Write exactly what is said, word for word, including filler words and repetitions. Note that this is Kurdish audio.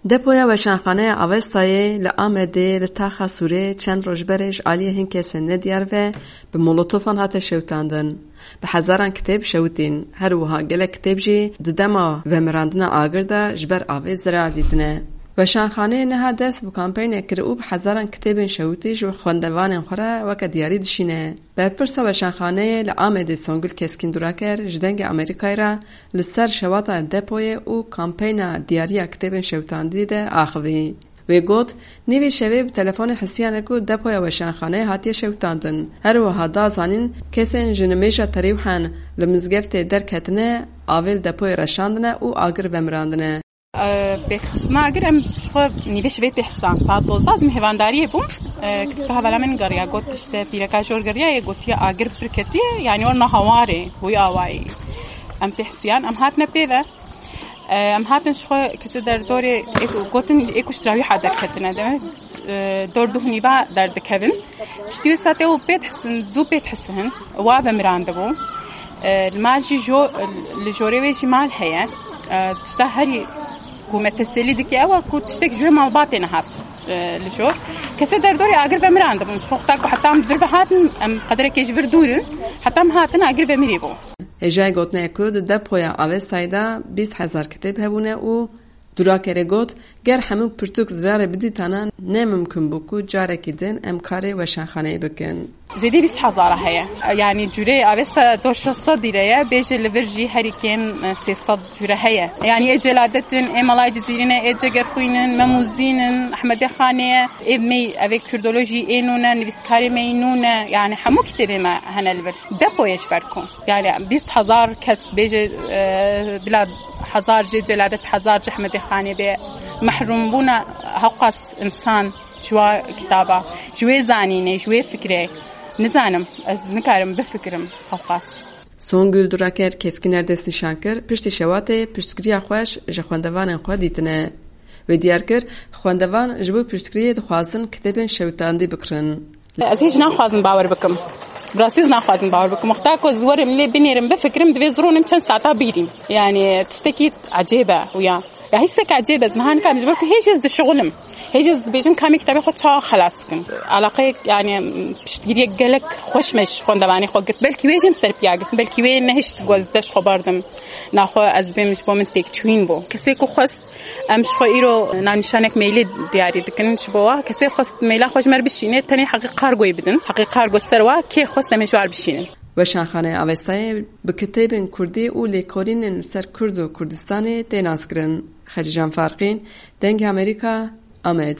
Depoya Weşanxaneya Avestayê li Amedê li taxa Sûrê çend roj berê ji aliyê hin kesên nediyar ve bi molotofan hate şewitandin. Bi hezaran kitêb şewitîn. Her wiha gelek kitêb jî di dema vemirandina agir de ji ber avê zirar dîtine. Weşanxaneyê niha dest bi kampeynek kir û bi hezaran kitêbên şewitî ji xwendevanên xwe re weke diyarî dişîne. Berpirsa Weşanxaneyê li Amedê Songül Keskîn Duraker ji Dengê Amerîkayê re li ser şewata depoyê û kampeyna diyariya kitêbên şewitandî de axivî. Wê got, nîvê şevê bi telefonê hisiyanek û depoya weşanxaneyê hatiye şewitandin. Her wiha da zanîn, kesên ji nimêja terîwhen li mizgeftê derketine, avê li depoyê reşandine û agir vemirandine. Pêxistina agir em ji xwe nîvê şevê tê hisan. Saet dozdeh ez mêvandariyê bûm. Kiçika hevala min geriya, got, işte, pîreka jor geriya yê, gotiye agir pir ketiye, yani orna hawarê, bûyî awayî. Em tê hisiyan, em hatine pê ve. Em hatin ji xwe kesê derdorê êk gotin êk û ji trawî ha derketine de. Dor duh nîva derdikevin. Piştî wê saetê û pê dihisin, zû pê dihisin. Wa vemirandibû. Li mal jî jo-, li jorê wê jî mal heye. Tişta herî ku me tesellî dike ew e ku tiştek ji wê malbatê nehat li jor. Kesê derdorê agir vemirandibûn. Ji xwe xwe ta ku heta em vir ve hatin, em qederekê ji vir dûr in. Heta em hatin agir vemirî bû. Hêjayê gotinê ye ku di depoya Avestayê de bîst hezar kitêb hebûne û Durakerê got, ger hemû pirtûk zirarê bidîtana, ne mimkun bû ku carekî din em karê weşanxaneyê bikin. Zêdî bîst hezara heye. Yani cûrê Avesta dor şeş sed lîre ye, bêje li vir jî herî kêm, e, sê sed cûre heye. Yani ê Celadet in, ê Malay Cizîrî ne, ê Cegerxwîn in, Memûzîn in, Ehmedê Xanê ye, ê mey, ev ê Kurdolojî ê nû ne, nivîskarê me yî nû ne. Yani hemû kitêbê me hene li vir. Depoyê ji ber ku. Yani bîst hezar kes bêje, e, bila hezar jê Celadet, hezar jê Ehmedê Xanê bê, mehrûm bûne hewqas insan ji wa kitaba, ji wê zanînê, ji wê fikrê. Nizanim, ez nikarim bifikirim hewqas. Songül Duraker keskîner destnîşan kir, piştî şewatê piştgiriya xweş ji xwendevanên xwe dîtine. Wê diyar kir, xwendevan ji bo piştgiriyê dixwazin kitêbên şewitandî bikirin. Ez hêj naxwazim bawer bikim. Bi rastî ez naxwazim bawer bikim. Wexta ku ez werim lê binêrim, bifikirim, divê zironim çend saeta bîrîm. Yani tiştekî ecêb e û ya. Ya hîstek ecêb e, ez niha nikarim ji ber ku hêj ez dişixulim. Hêj ez dibêjim ka em ê kitabê xwe çawa xelas bikin. Alaqeyek, yani piştgiriyek gelek xweş me ji xwendevanê xwe girt. Belkî wê jî em ser piya girtin. Belkî wê nehişt ku ez dest xwe bardim. Naxwe ez bêm ji bo min têkçûyîn bû. Kesê ku xwest Em ji xwe îro navnîşanek mailê diyarî dikin ji bo wa. Kesê xwest maila xwe ji me re bişîne, tenê heqê kargoyê bidin. Heqê kargo ser wa kê xwest em ê ji war bişînin. Weşanxaneya Avestayê bi kitêbên kurdî û lêkolînên li ser Kurd û Kurdistanê tê naskirin. Xecîcan Farqîn, Dengê Amerîka, Amed.